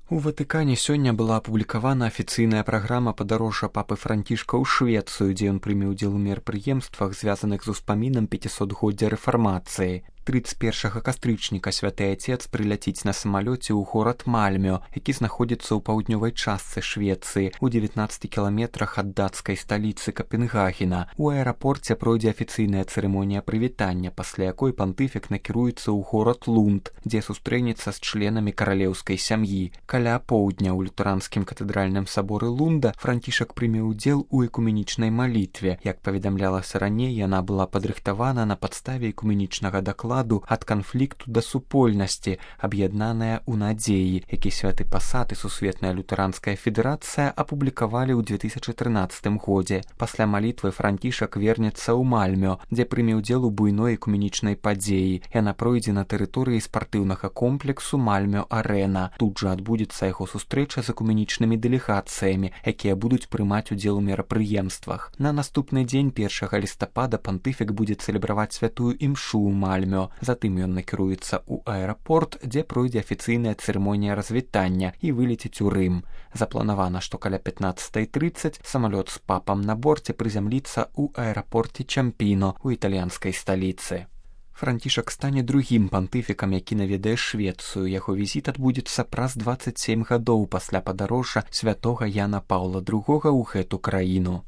У Ватыкане сёння была апублікавана афіцыйная праграма падарожжа папы Францішка ў Швецыю, дзе ён прыме ўдзел у мерапрыемствах, звязаных з успамінам 500-годдзя рэфармацыі. 31 кастрычніка святы Отец прыляціць на самалёце ў горад Мальмё, які знаходзіцца ў паўднёвай частцы Швецыі, у 19 кіламетрах ад дацкай сталіцы Капенгагена. У аэрапорце пройдзе афіцыйная цырымонія прывітання, пасля якой пантыфік накіруецца ў горад Лунд, дзе сустрэнецца з членамі каралеўскай сям'і. Каля поўдня ў лютэранскім катэдральным саборы Лунда Францішак прыме ўдзел у экуменічнай малітве. Як паведамлялася раней, яна была падрыхтавана на падставе экуменічнага дакладу ад канфлікту да супольнасці, аб'яднаная ў надзеі, які святы пасад і сусветная лютэранская федэрацыя апублікавалі ў 2013 годзе. Пасля малітвы Францішак вернецца ў Мальмё, дзе прыме ўдзел у буйной экуменічнай падзеі. Яна пройдзе на тэрыторыі спартыўнага комплексу Мальмё-Арэна. Тут жа адбудзецца яго сустрэча з экуменічнымі дэлегацыямі, якія будуць прымаць удзел у мерапрыемствах. На наступны дзень 1 лістапада пантыфік будзе цэлебраваць святую імшу ў Мальмё. Затым ён накіруецца ў аэрапорт, дзе пройдзе афіцыйная цырымонія развітання і вылеціць у Рым. Запланавана, што каля 15:30 самалёт з папам на борце прызямліцца ў аэрапорце Чампіно у італьянскай сталіцы. Францішак стане другім пантыфікам, які наведае Швецыю. Яго візіт адбудзецца праз 27 гадоў пасля падарожжа святога Яна Паўла II ў гэту краіну.